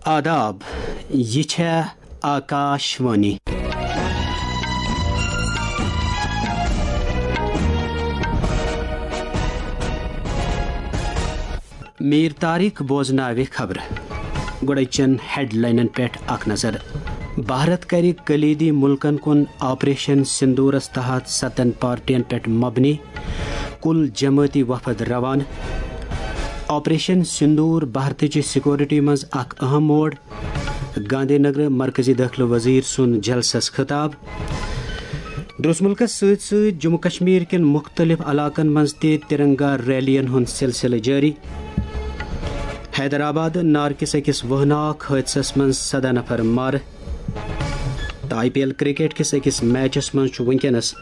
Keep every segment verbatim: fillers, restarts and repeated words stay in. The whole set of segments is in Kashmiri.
آداب، یہِ چھےٚ آکاش وانی۔ میٖر طارق بوزناوِ خبرٕ۔ گۄڈٕ چٮ۪ن ہیڈلاینن پٮ۪ٹھ اکھ نظر۔ بھارت کرِ کلیدی مُلکن کُن آپریشن سندورس تحت ستن پارٹین پٮ۪ٹھ مبنی کل جمٲعتی وفد روانہٕ۔ آپریشن سندور بھارتٕچہِ سیکورٹی منٛز اکھ اہم موڑ۔ گاندھی نگر مرکزی دٲخلہٕ وزیر سُنٛد جلسس خطاب۔ درس ملکس سۭتۍ سۭتۍ جموں کشمیر کٮ۪ن مُختٔلِف علاقن منٛز تہِ ترنگا ریلین ہُنٛد سلسلہٕ جٲری۔ حیدرآباد نار کِس أکِس وٲہناک حٲدثس منٛز سداہ نفر مارٕ۔ تہٕ آئی پی ایل کرکٹ کِس أکِس میچس منٛز چھُ وٕنکیٚنس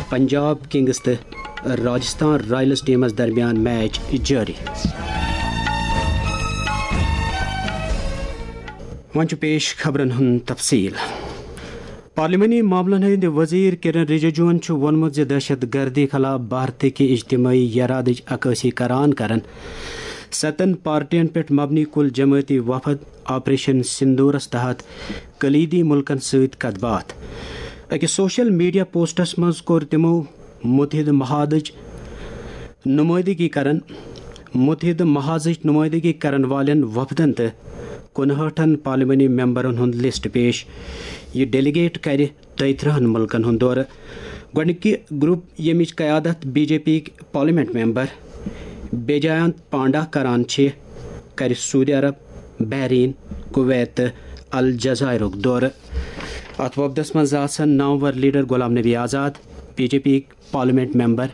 پنجاب کنگز تہٕ راجستھان رائلز ٹیمس درمیان میچ جٲری۔ وۄنۍ چھُ پیش خبرن ہُنٛد تفصیل۔ پارلیمانی معاملن ہٕنٛدۍ وزیر کرن رجیجوَن چھُ ووٚنمُت زِ دہشت گردی خلاف بھارتٕکہِ اجتماعی یرادٕچ عکٲسی کران کرن ستن پارٹین پٮ۪ٹھ مبنی کل جمٲعتی وفد آپریشن سندورس تحت کلیدی ملکن سۭتۍ کتھ باتھ۔ أکِس سوشل میڈیا پوسٹس منٛز کوٚر تِمو متحدٕ محادٕچ نمٲیندگی کرن، متحدٕ محاذٕچ نمٲیندگی کرن والٮ۪ن وفدن تہٕ کُنہٲٹھن پارلیمانی ممبرن ہُنٛد لسٹ پیش۔ یہِ ڈیلیگیٹ کرِ دۄیہِ ترٕہن ملکن ہُنٛد دورٕ۔ گۄڈٕنِکہِ گروپ، ییٚمِچ قیادت بی جے پی یِکۍ پارلیمنٹ ممبر بیجاینت پانڈا کران چھِ، کرِ سعودی عرب، بحرین، کویت تہٕ الجزائرُک دورٕ۔ اتھ وفدس منٛز آسن نامور leader Ghulam Nabi Azad, B J P یِکۍ parliament member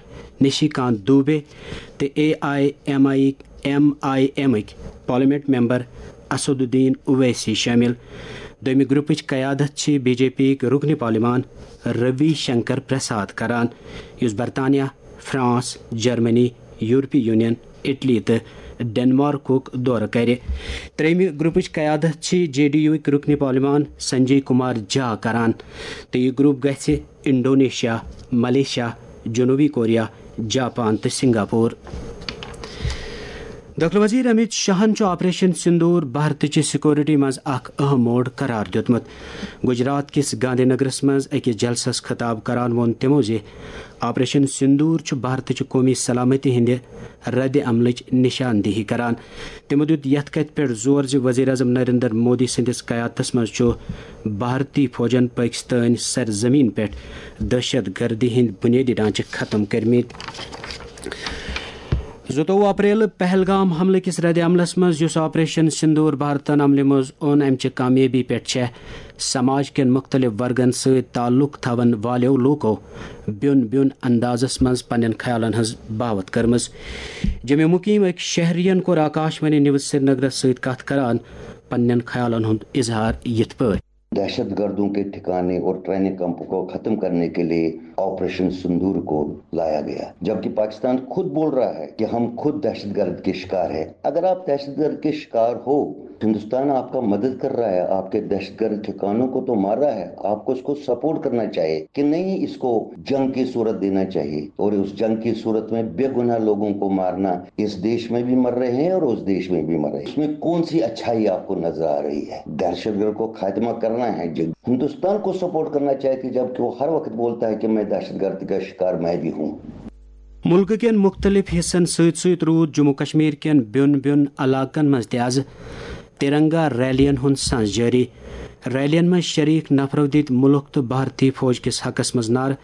Nishikant Dubey تہٕ A I M I, M I M ٕکۍ parliament member Asaduddin Owaisi شٲمِل۔ دوٚیمہِ گروپٕچ قیادت چھِ بی جے پی یِکۍ رُکنہِ پارلیمان روی شنکر پرساد کران، یُس برطانیہ، فرانس، جرمنی، یورپی یونین، اٹلی تہٕ ڈنمارکُک دورٕ کرِ۔ ترٛیٚیمہِ گروپٕچ قیادت چھِ جے ڈی یو یِکۍ رُکنہِ پارلیمان سنجے کمار جھا کران، تہٕ یہِ گروپ گژھِ انڈونیشیا، ملیشیا، جنوبی کوریا، جاپان تہٕ سنگاپور۔ دٲخلہٕ وزیر امیت شاہن چھُ آپریشن سندور بھارتٕچہِ سیکورٹی منٛز اکھ اہم موڑ قرار دیُتمُت۔ گجرات کِس گاندھی نگرس منٛز أکِس جلسس خطاب کران ووٚن تِمو زِ آپریشن سندور چھُ بھارتٕچہِ قومی سلامتی ہٕنٛدِ رد عملٕچ نشاندہی کران۔ تِمو دیُت یتھ کتھِ پٮ۪ٹھ زور زِ وزیر اعظم نریندر مودی سٕنٛدِس قیادتس منٛز چھُ بھارتی فوجن پٲکستٲنۍ سرزمین پٮ۪ٹھ دہشت گردی ہٕنٛدۍ بنیٲدی ڈھانچہٕ ختم کٔرمٕتۍ۔ زٕتووُہ اپریل پہلگام حملہٕ کِس رد عملس منٛز، یُس آپریشن سندور بھارتن عملہِ منٛز اوٚن، امہِ چہِ کامیٲبی پٮ۪ٹھ چھےٚ سماج کٮ۪ن مُختٔلِف ورگن سۭتۍ تعلق تھاون والٮ۪و لوٗکو بیوٚن بیوٚن اندازس منٛز پننٮ۪ن خیالن ہٕنٛز باوتھ کٔرمٕژ۔ جموں مقیم أکۍ شہرین کوٚر آکاش وانی نیوز سرینگرس سۭتۍ کتھ کران پننٮ۪ن خیالن ہُنٛد اظہار یِتھ پٲٹھۍ۔ دہشت گردوں کے ٹھکانے اور ٹریننگ کیمپوں کو ختم کرنے کے لیے آپریشن سندور کو لایا گیا، جبکہ پاکستان خود بول رہا ہے کہ ہم خود دہشت گرد کے شکار ہیں۔ اگر آپ دہشت گرد کے شکار ہو، ہندوستان آپ کا مدد کر رہا ہے، آپ کے دہشت گرد ٹھکانوں کو تو مار رہا ہے، آپ کو اس کو سپورٹ کرنا چاہیے کہ نہیں، اس کو جنگ کی صورت دینا چاہیے اور اس جنگ کی صورت میں بے گناہ لوگوں کو مارنا، اس دیش میں بھی مر رہے ہیں اور اس دیش میں بھی مر رہے ہیں، اس میں کون سی اچھائی آپ کو نظر آ رہی ہے؟ دہشت گرد کو خاتمہ کرنا ہے، جو ہندوستان کو سپورٹ کرنا چاہیے، جبکہ وہ ہر وقت بولتا ہے کہ میں دہشت گرد کا شکار میں بھی ہوں۔ مُلکہٕ کٮ۪ن مُختٔلِف حِصن سۭتۍ سۭتۍ روٗد جموں کشمیر کٮ۪ن بیوٚن بیوٚن علاقن منٛز تہِ آز ترنگا ریلین ہُنٛد سانز جٲری۔ ریلین منٛز شریک نفرو دِتۍ مُلک تہٕ بھارتی فوج کِس حقس منٛز نعرٕ۔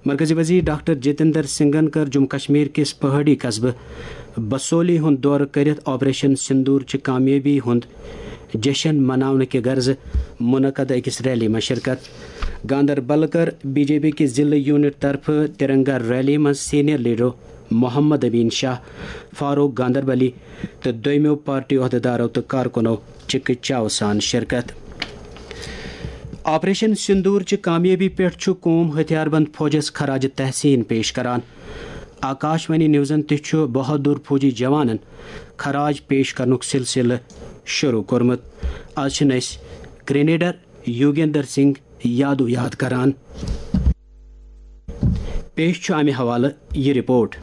مرکزی وزیر ڈاکٹر جتیندر سنگھن کٔر جموں کشمیر کِس پہٲڑی قصبہٕ بسولی ہُنٛد دورٕ کٔرِتھ آپریشن سندور چہِ کامیٲبی ہُنٛد جشن مناونہٕ کہِ غرضہٕ منعقد أکِس ریلی منٛز شرکت۔ گاندربل کٔر بی جے پی کہِ ضلعہٕ یونٹ طرفہٕ ترنگا ریلی منٛز سینئر لیڈرو محمد امین شاہ، فاروق گاندربلی تہٕ دویمو پارٹی عہدیدارو تہٕ کارکنو چِکہٕ چاوٕ سان شرکت۔ آپریشن سندور چہِ کامیٲبی پٮ۪ٹھ چھُ قوم ہتھیار بند فوجس خراج تحسین پیش کران۔ آکاش وانی نیوزن تہِ چھُ بہادر فوجی جوانن خراج پیش کرنُک سلسلہٕ شروع کوٚرمُت۔ آز چھِن أسۍ گرینیڈر یوگیندر سنگھ یادو یاد کران۔ پیش چھُ امہِ حوالہٕ یہِ رپورٹ۔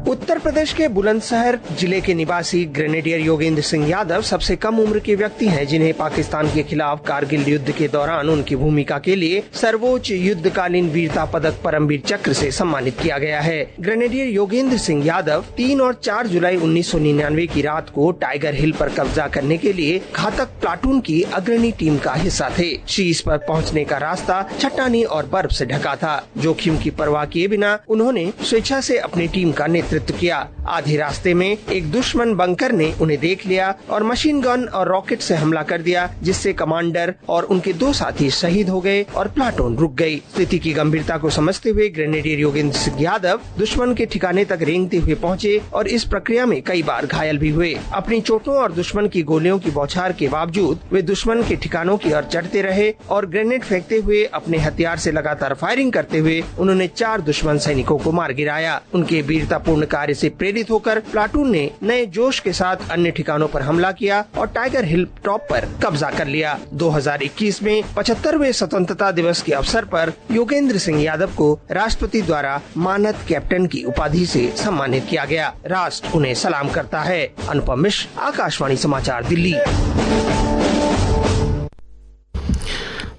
उत्तर उत्तर प्रदेश के बुलंदशहर जिले के निवासी ग्रेनेडियर योगेंद्र सिंह यादव सबसे कम उम्र के व्यक्ति हैं, जिन्हें पाकिस्तान के खिलाफ कारगिल युद्ध के दौरान उनकी भूमिका के लिए सर्वोच्च युद्धकालीन वीरता पदक परमवीर चक्र से सम्मानित किया गया है। ग्रेनेडियर योगेंद्र सिंह यादव तीन और चार जुलाई उन्नीस सौ निन्यानवे की रात को टाइगर हिल पर कब्जा करने के लिए घातक प्लाटून की अग्रणी टीम का हिस्सा थे। शीर्ष पर पहुंचने का रास्ता चट्टानी और बर्फ से ढका था। जोखिम की परवाह किए बिना उन्होंने स्वेच्छा से अपनी टीम का नेतृत्व किया। आधे रास्ते में एक दुश्मन बंकर ने उन्हें देख लिया और मशीन गन और रॉकेट से हमला कर दिया, जिससे कमांडर और उनके दो साथी शहीद हो गए और प्लाटून रुक गई। स्थिति की गंभीरता को समझते हुए ग्रेनेडियर योगेंद्र सिंह यादव दुश्मन के ठिकाने तक रेंगते हुए पहुंचे और इस प्रक्रिया में कई बार घायल भी हुए। अपनी चोटों और दुश्मन की गोलियों की बौछार के बावजूद वे दुश्मन के ठिकानों की ओर चढ़ते रहे और ग्रेनेड फेंकते हुए अपने हथियार से लगातार फायरिंग करते हुए उन्होंने चार दुश्मन सैनिकों को मार गिराया। उनके वीरतापूर्ण कार्य से प्रेरित होकर प्लाटून ने नए जोश के साथ अन्य ठिकानों पर हमला किया और टाइगर हिल टॉप पर कब्जा कर लिया। दो हज़ार इक्कीस में पचहत्तरवें स्वतंत्रता दिवस के अवसर पर योगेंद्र सिंह यादव को राष्ट्रपति द्वारा मानद कैप्टन की उपाधि से सम्मानित किया गया। राष्ट्र उन्हें सलाम करता है। अनुपम मिश्र, आकाशवाणी समाचार, दिल्ली।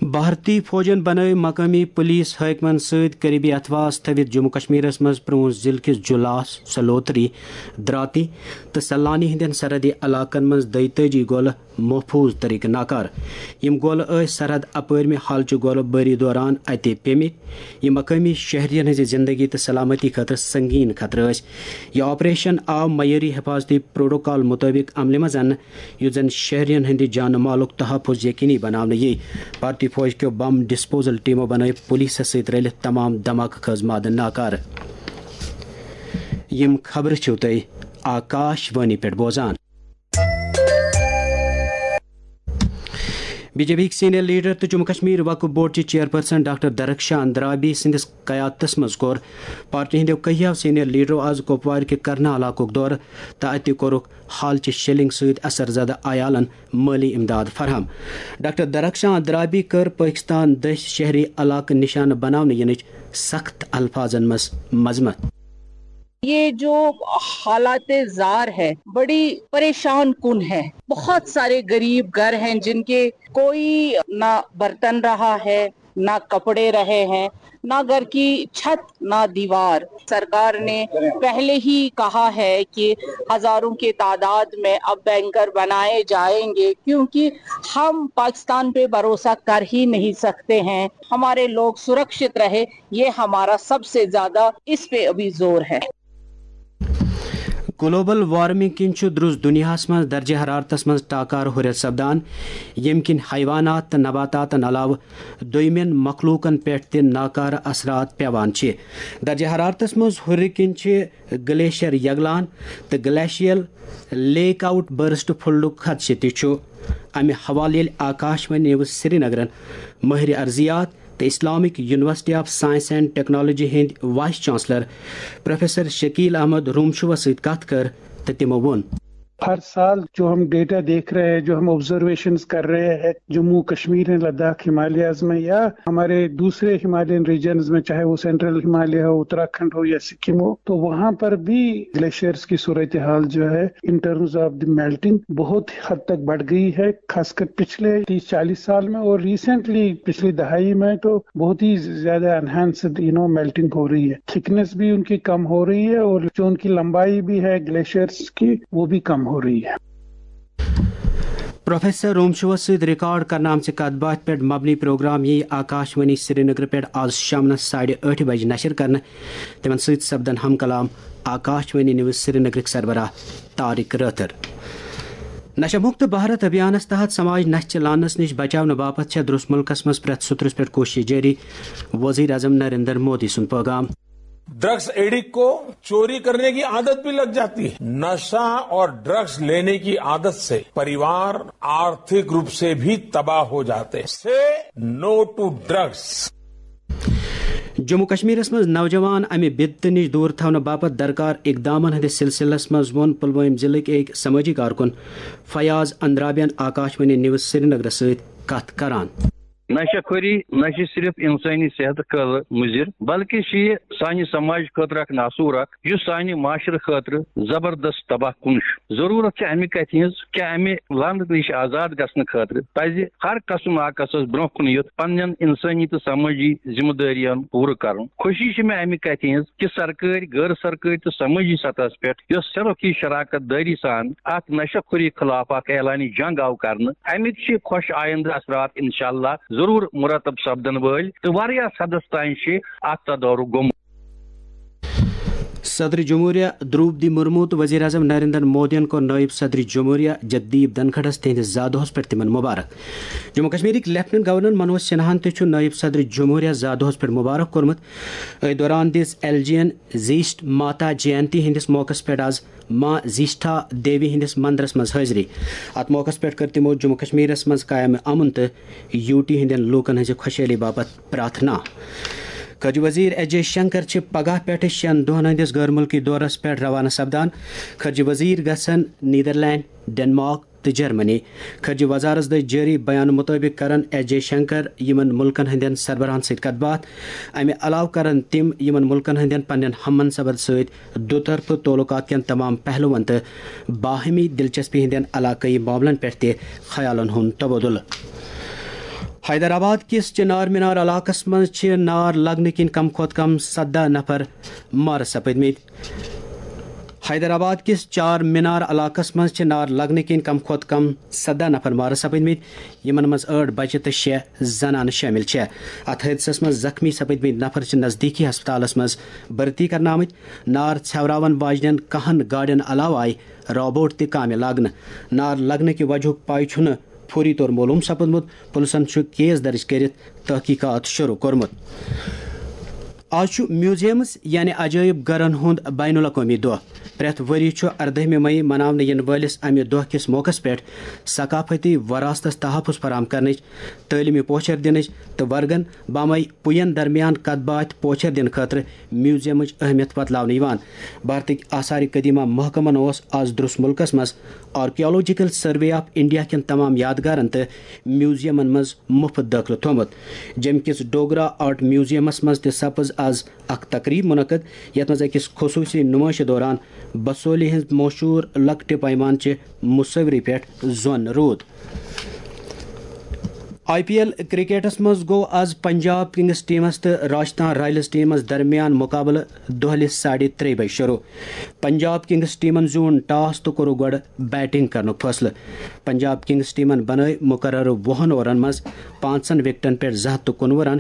بھارتی فوجن بنٲوۍ مقٲمی پولیس حٲکمن سۭتۍ قریبی اتھواس تھٲوِتھ جموں کشمیرس منٛز پرٛون ضلعہٕ کِس جلاس، سلوتری، دراتی تہٕ سلانی ہٕنٛدٮ۪ن سرحدی علاقن منٛز دۄیتٲجی گولہٕ محفوظ طریقہٕ ناکارٕ۔ یِم گولہٕ ٲسۍ سرحد اپٲرمہِ حالچہِ گولہٕ بٲری دوران اَتہِ پیٚمٕتۍ۔ یِم مقٲمی شہرین ہٕنٛزِ زندگی تہٕ سلامتی خٲطرٕ سنگین خطرٕ ٲسۍ۔ یہِ آپریشن آو معیٲری حفاظتی پروٹوکال مُطٲبِق عملہِ منٛز اننہٕ، یُتھ زن شہرین ہٕنٛدِ جان مالُک تحفظ یقینی بناونہٕ یِیہِ۔ بھارتی فوج کیو بم ڈسپوزل ٹیمو بنٲوۍ پولیسس سۭتۍ رلِتھ تمام دھماکہٕ خٲز مادٕ ناکارٕ۔ یِم خبرٕ چھِو تُہۍ آکاش وانی پٮ۪ٹھ بوزان۔ بی جے پی ہٕکۍ سینئر لیڈر تہٕ جموں کشمیر وقف بورڈ چہِ چیئرپرسن ڈاکٹر درخشان درابی سٕنٛدِس قیادتس منٛز کوٚر پارٹی ہٕنٛدیو کینٛہو سینئر لیڈرو آز کپوارِ کہِ کرنا علاقُک دورٕ تہٕ اَتہِ کوٚرُکھ حالچہِ شیلنگ سۭتۍ اثر زدٕ عیالن مٲلی امداد فراہم۔ ڈاکٹر درخشان درابی کٔر پٲکستان دٔسۍ شہری علاقہٕ نشانہٕ بناونہٕ یِنٕچ سخت الفاظن منٛز مذمت۔ یہ جو حالات زار ہے، بڑی پریشان کن ہے۔ بہت سارے غریب گھر ہیں جن کے کوئی نہ برتن رہا ہے، نہ کپڑے رہے ہیں، نہ گھر کی چھت، نہ دیوار۔ سرکار نے پہلے ہی کہا ہے کہ ہزاروں کی تعداد میں اب بینکر بنائے جائیں گے، کیونکہ ہم پاکستان پہ بھروسہ کر ہی نہیں سکتے ہیں۔ ہمارے لوگ سرکشت رہے، یہ ہمارا سب سے زیادہ اس پہ ابھی زور ہے۔ گلوبل وارمنگ کِنۍ چھُ درُس دُنیاہَس منٛز درجہ حرارتَس منٛز ٹاکار ہُرٮ۪ر سپدان، ییٚمہِ کِنۍ حیوانات تہٕ نباتاتَن علاوٕ دوٚیمٮ۪ن مخلوقَن پٮ۪ٹھ تہِ ناکارٕ اثرات پٮ۪وان چھِ۔ درجہ حرارتَس منٛز ہُرِ کِنۍ چھِ گلیشیر یگلان تہٕ گلیشیل لیک آؤٹ برسٹ پھُلنُک خدشہٕ تہِ چھُ۔ اَمہِ حوالہٕ ییٚلہِ آکاش وانی نیوز سرینگرَن مٲہرِ ارضیات تہٕ Islamic university of science and technology ہٕنٛدۍ vice chancellor professor Shakil Ahmad رومشوس سۭتۍ کتھ کٔر تہٕ تِمو ووٚن۔ ہر سال جو ہم ڈیٹا دیکھ رہے ہیں، جو ہم آبزرویشنز کر رہے ہیں جموں کشمیر میں، لداخ، ہمالیاز میں یا ہمارے دوسرے ہمالین ریجنز میں، چاہے وہ سینٹرل ہمالیہ ہو، اتراکھنڈ ہو یا سکم ہو، تو وہاں پر بھی گلیشیئرز کی صورتحال جو ہے in terms of the melting بہت حد تک بڑھ گئی ہے، خاص کر پچھلے تیس چالیس سال میں، اور ریسنٹلی پچھلی دہائی میں تو بہت ہی زیادہ انہانسڈ یو نو میلٹنگ ہو رہی ہے، تھکنس بھی ان کی کم ہو رہی ہے اور جو ان کی لمبائی بھی ہے گلیشیئرز کی، وہ بھی کم ہو رہی ہے۔ پروفیسر رومشوس سۭتۍ ریکارڈ کرنہٕ آمژِ کتھ باتھِ پٮ۪ٹھ مبنی پروگرام ییہِ آکاش وانی سرینگر پٮ۪ٹھ آز شامنس ساڑِ ٲٹھِ بجہِ نشر کرنہٕ۔ تِمن سۭتۍ سپدن ہم کلام آکاش وانی نیوز سرینگرٕکۍ سربراہ طارق رٲتھر۔ نشہ مکت بھارت ابھیانس تحت سماج نشہ چہِ لعنس نِش بچاونہٕ باپتھ چھےٚ درُس مُلکس منٛز پرٛٮ۪تھ سترس پٮ۪ٹھ کوٗشش جٲری، وزیر اعظم نریندر مودی سُنٛد پٲغام۔ ڈرگس ایڈکٹ کو چوری کرنے کی عادت بھی لگ جاتی ہے۔ نشہ اور ڈرگس لینے کی عادت سے परिवार आर्थिक रूप से भी तबाह हो जाते हैं। Say no to drugs। Jammu کشمیرس منٛز نوجوان امہِ بدتہٕ نِش دوٗر تھاونہٕ باپتھ درکار اقدامن ہٕنٛدِس سلسلس منٛز ووٚن پلوٲمۍ ضلعٕکۍ أکۍ سمٲجی کارکُن فیاض اندرابین آکاش وانی نیوز سرینگرس سۭتۍ کتھ کران۔ نشہ خوری نہ چھِ صرف انسٲنی صحتہٕ خٲطرٕ مُضِر، بلکہِ چھِ یہِ سانہِ سماج خٲطرٕ اکھ ناسوٗر اکھ، یُس سانہِ معاشرٕ خٲطرٕ زبردست تباہ کُن چھُ۔ ضروٗرت چھِ امہِ کتھِ ہٕنٛز کہِ امہِ لعنتہٕ نِش آزاد گژھنہٕ خٲطرٕ پزِ ہر کس و ناکسس برونٛہہ کُن یُتھ پننٮ۪ن انسٲنی تہٕ سمٲجی ذمہٕ دٲرین پوٗرٕ کرُن۔ خوشی چھِ مےٚ امہِ کتھِ ہٕنٛز کہِ سرکٲرۍ، غٲر سرکٲرۍ تہٕ سمٲجی سطحس پٮ۪ٹھ یۄس سرخی شراکت دٲری سان اتھ نشہ خوری خلاف اکھ اعلانِ جنگ آو کرنہٕ، امیِکۍ چھِ خۄش آیندٕ اثرات انشاءاللہ ضروٗر مرتب سپدن وٲلۍ تہٕ واریاہ حدس تام چھِ اتھ تدارُک گوٚمُت۔ صدر جمہوریہ دروپدی مرمو تہٕ وزیر اعظم نریندر مودیَن کوٚر نٲیِب صدر جمہوریہ جگدیپ دھنکھڑَس تِہنٛدِس زا دۄہَس پٮ۪ٹھ تِمن مبارک۔ جموں کشمیرٕکۍ لیفٹیننٹ گورنر منوج سنہاہَن تہِ چھُ نٲیِب صدر جمہوریہ زا دۄہَس پٮ۪ٹھ مبارک کوٚرمُت۔ أتھۍ دوران دِژ ایل جی یَن زیشٹھ ماتا جینتی ہٕنٛدِس موقعس پٮ۪ٹھ آز ماں زیشٹھا دیوی ہٕنٛدِس مندرَس منٛز حٲضری۔ اَتھ موقعس پٮ۪ٹھ کٔر تِمو جموں کشمیرَس منٛز قیام امن تہٕ یوٗ ٹی ہٕنٛدٮ۪ن لوٗکَن ہٕنٛزِ خۄشحٲلی باپتھ پرٛارتھنا۔ خارجہ وزیر ایس جے شنکر چھِ پگاہ پٮ۪ٹھٕ شٮ۪ن دۄہَن ہٕنٛدِس غٲر مُلکی دورَس پٮ۪ٹھ روانہٕ سپدان۔ خارجہ وزیر گژھن نیدرلینڈ، ڈنمارک تہٕ جرمنی۔ خارجہ وزارت دٔسۍ جٲری بیان مُطٲبِق کرن ایس جے شنکر یِمن مُلکن ہٕنٛدٮ۪ن سربراہن سۭتۍ کتھ باتھ۔ امہِ علاوٕ کرن تِم یِمن مُلکن ہٕنٛدٮ۪ن پننٮ۪ن ہم منصبن سۭتۍ دُطرفہٕ تعلقات کٮ۪ن تمام پہلوَن تہٕ باہمی دلچسپی ہٕنٛدٮ۪ن علاقٲیی معاملن پٮ۪ٹھ تہِ خیالن ہُنٛد تبادلہٕ۔ حیدرآباد کِس چنار مینار علاقس منٛز چھِ نار لگنہٕ کِنۍ کم کھۄتہٕ کم سداہ نفر مارٕ سپٕدمٕتۍ۔ حیدرآباد کِس چار مینار علاقس منٛز چھِ نار لگنہٕ کِنۍ کم کھۄتہٕ کم سداہ نفر مارٕ سپٕدمٕتۍ، یِمن منٛز ٲٹھ بچہِ تہٕ شےٚ زنانہٕ شٲمِل چھےٚ۔ اتھ حٲدثس منٛز زخمی سپٕدمٕتۍ نفر چھِ نزدیٖکی ہسپتالس منٛز بھرتی کرنہٕ آمٕتۍ۔ نار ژھٮ۪وراون واجنٮ۪ن کاہن گاڑٮ۪ن علاوٕ آیہِ روبوٹ تہِ کامہِ لاگنہٕ۔ نار لگنہٕ کہِ وجہُک پاے چھُنہٕ فوری طور معلوم سپدمُت۔ پُلسن چھُ کیس درج کٔرِتھ تحقیقات شروع کوٚرمُت۔ آز چھُ میوزیمز یعنی عجٲیب گرن ہُنٛد بین الاقوٲمی دۄہ۔ پرٛٮ۪تھ ؤری چھُ اردٲہمہِ مئی مناونہٕ یِنہٕ وٲلِس امہِ دۄہ کِس موقعس پٮ۪ٹھ ثقافتی وراثتس تحفظ فراہم کرنٕچ، تعلیمی پوچھر دِنٕچ تہٕ ورگن بامے پُین درمیان کتھ باتھ پوچھر دِنہٕ خٲطرٕ میوزیمٕچ اہمیت بتلاونہٕ یِوان۔ بھارتٕکۍ آثار قدیمہ محکمن اوس آز درس مُلکس منٛز آرکیالوجیکل سروے آف انڈیا کٮ۪ن تمام یادگارن تہٕ میوزیمن منٛز مُفت دٲخلہٕ تھوٚومُت۔ جیٚمہِ کِس ڈوگرا آرٹ میوزیمس منٛز تہِ سپٕز آز اکھ تقریب منعقد، یتھ منٛز أکِس خصوٗصی نُمٲیشہِ دوران بسولی ہٕنٛز مشہوٗر لۄکٹہِ پیمانچہِ مصوری پٮ۪ٹھ زۄن روٗد۔ آئی پی ایل کرکٹس منٛز گوٚو آز پنجاب کنگز ٹیمس تہٕ راجستھان رائلز ٹیمس درمیان مقابلہٕ دۄہلہِ ساڑِ ترٛےٚ بجہِ شروع۔ پنجاب کنگز ٹیمن زیوٗن ٹاس تہٕ کوٚرُکھ گۄڈٕ بیٹنگ کرنُک فٲصلہٕ۔ پنجاب کنگز ٹیمن بنٲوۍ مقررٕ وُہن اوورن منٛز پانٛژن وکٹن پٮ۪ٹھ زٕ ہتھ تہٕ کُنوُہ رن۔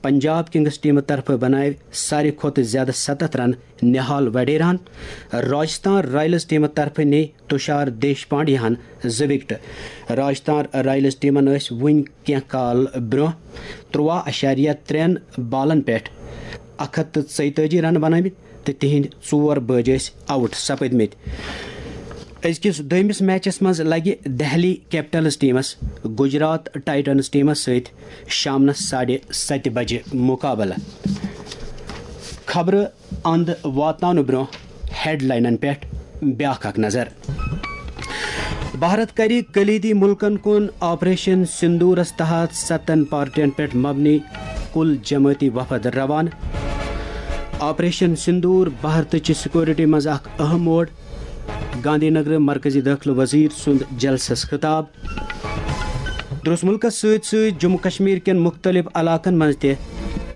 پنجاب کنگز ٹیمہٕ طرفہٕ بناوِ ساروی کھۄتہٕ زیادٕ ستتھ رن نہال وڈیراہن۔ راجستھان رائلز ٹیمہٕ طرفہٕ نی تُشار دیش پانڈیاہن زٕ وکٹہٕ۔ راجستھان رائلز ٹیمن ٲسۍ وُنہِ کینٛہہ کال برٛونٛہہ تُرٛواہ اَشاریہ ترٛٮ۪ن بالن پٮ۪ٹھ اکھ ہتھ تہٕ ژۄیتٲجی رن بنٲومٕتۍ تہٕ تِہنٛدۍ ژور بٲجۍ ٲسۍ آؤٹ سپٕدمٕتۍ۔ أزکِس دوٚیمِس میچس منٛز لگہِ دہلی کیپٹلز ٹیمس گجرات ٹائٹنز ٹیمس سۭتۍ شامنس ساڑِ ستہِ بجہِ مقابلہٕ۔ خبرٕ اند واتناونہٕ برونٛہہ ہیڈلاینن پٮ۪ٹھ بیاکھ اکھ نظر۔ بھارت کرِ کلیدی ملکن کُن آپریشن سندورس تحت ستن پارٹین پٮ۪ٹھ مبنی کل جمٲعتی وفد روانہٕ۔ آپریشن سندور بھارتٕچ سیکورٹی منٛز اکھ اہم موڑ، گاندھی نگر مرکزی دٲخلہٕ وزیر سُنٛد جلسس خطاب۔ درس ملکس سۭتۍ سۭتۍ جموں کشمیر کٮ۪ن مختلف علاقن منٛز تہِ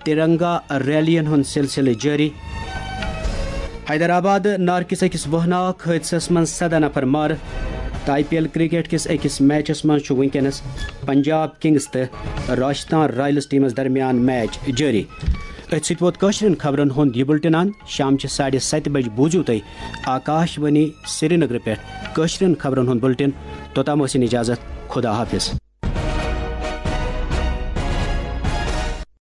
ترنگا ریلین ہُنٛد سلسلہٕ جٲری۔ حیدرآباد نار کِس أکِس وہناک حٲدثس منٛز سداہ نفر مارٕ۔ تہٕ آئی پی ایل کرکٹ کِس أکِس میچس منٛز چھُ وُنکیٚنس پنجاب کنگز تہٕ راجستھان رائلز ٹیمس درمیان میچ جٲری۔ أتھۍ سۭتۍ ووت کٲشرٮ۪ن خبرن ہُنٛد یہِ بُلٹن اند۔ شامچہِ ساڑِ ستہِ بجہِ بوٗزِو تُہۍ آکاش وانی سرینگرٕ پٮ۪ٹھ کٲشرٮ۪ن خبرن ہُنٛد بُلٹن۔ توٚتام ٲسِن اجازت، خدا حافظ۔